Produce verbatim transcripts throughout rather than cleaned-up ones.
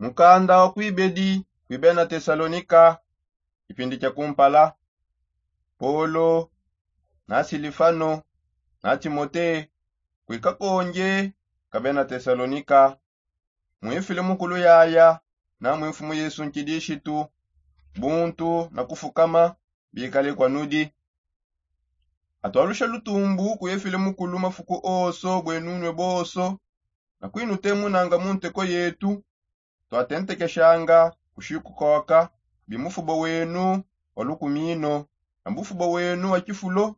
Mukanda wa kuibedi kui bena tesalonika. Kipindi kia kumpala. Polo, na silifano, na timote, kui kakonje ka bena tesalonika. Mwifile mukulu yaya, na mwimfumu yesu nkidishitu, buntu na kufukama bikale kwa nudi. Atwalusha lutumbu kuyefile mukulu mafuku oso bwenunwe boso, na kwinutemunanga mu nteko yetu. Twatentekeshanga kushikukoka bimufubo wenu wa lukumino, na mbufubo wenu wa kifulo,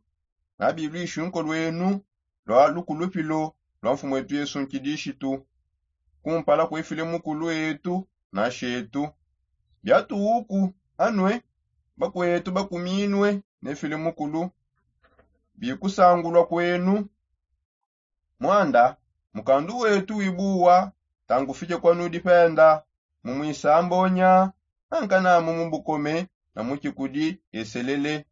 na bilwishunko lwenu lwa lukulupilo lwa mfumu etu yesu nkidishitu, kumpala kwefile mukulu etu na shetu. Biatuuku anwe, bakwetu bakuminwe nefile mukulu bikusangulwa kwenu. Mwanda, mukandu wetu wibuwa, tangufike kwa nudi penda, mu mwisambonya, ankanamu mu bukome, na mu kikudi eselele,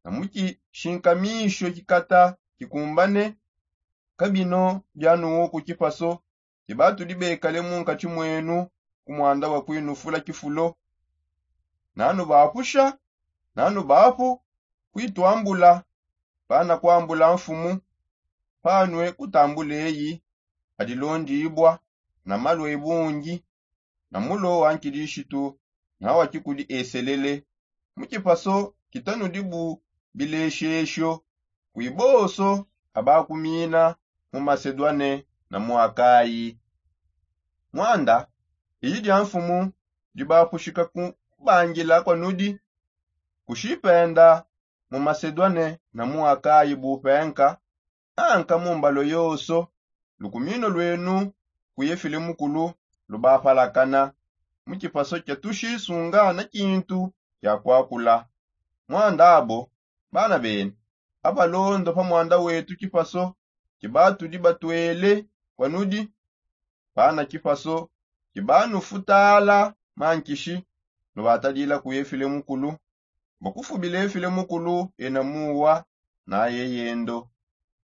na mu kishinkamisho kikata kikumbane. Kabino bianuuku kipaso, kibatudi bekale mu nkati mwenu, ku mwanda wa kwinufula kifulo. Nanu bapusha, nanu bapu kwitwambula, pana kwambula mfumu. Panwe kutambula eyi adilondibwa na malwe bungi, na mulo wa nkidishitu, na wa kikudi eselele, mu kipaso kitanudibu bileshesho kwiboso abakumina mu masedwane na mu akayi. Mwanda, iyi dia mfumu dibapushika ku kubangila kwa nudi, kushipenda mu masedwane na mu akayi bupenka, anka mu mbalo yoso. Lukumino lwenu kuyefile mukulu lubapalakana, mu kipaso kia tushisunga na kintu kia kwakula. Mwanda abo, bana bene, abalondo pa mwanda wetu kipaso kibatudi batwele kwa nudi, pana kipaso kibanufutala mankishi, nubatadila kuyefile mukulu, bakufubila efile mukulu ena muwa, naye yendo,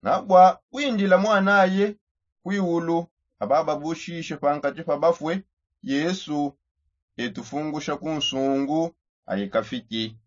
na bwa kwindila mwanaye kwiwulu, abababushishe pankati pa bafwe. Yesu etufungusha ku nsungu aikafiki.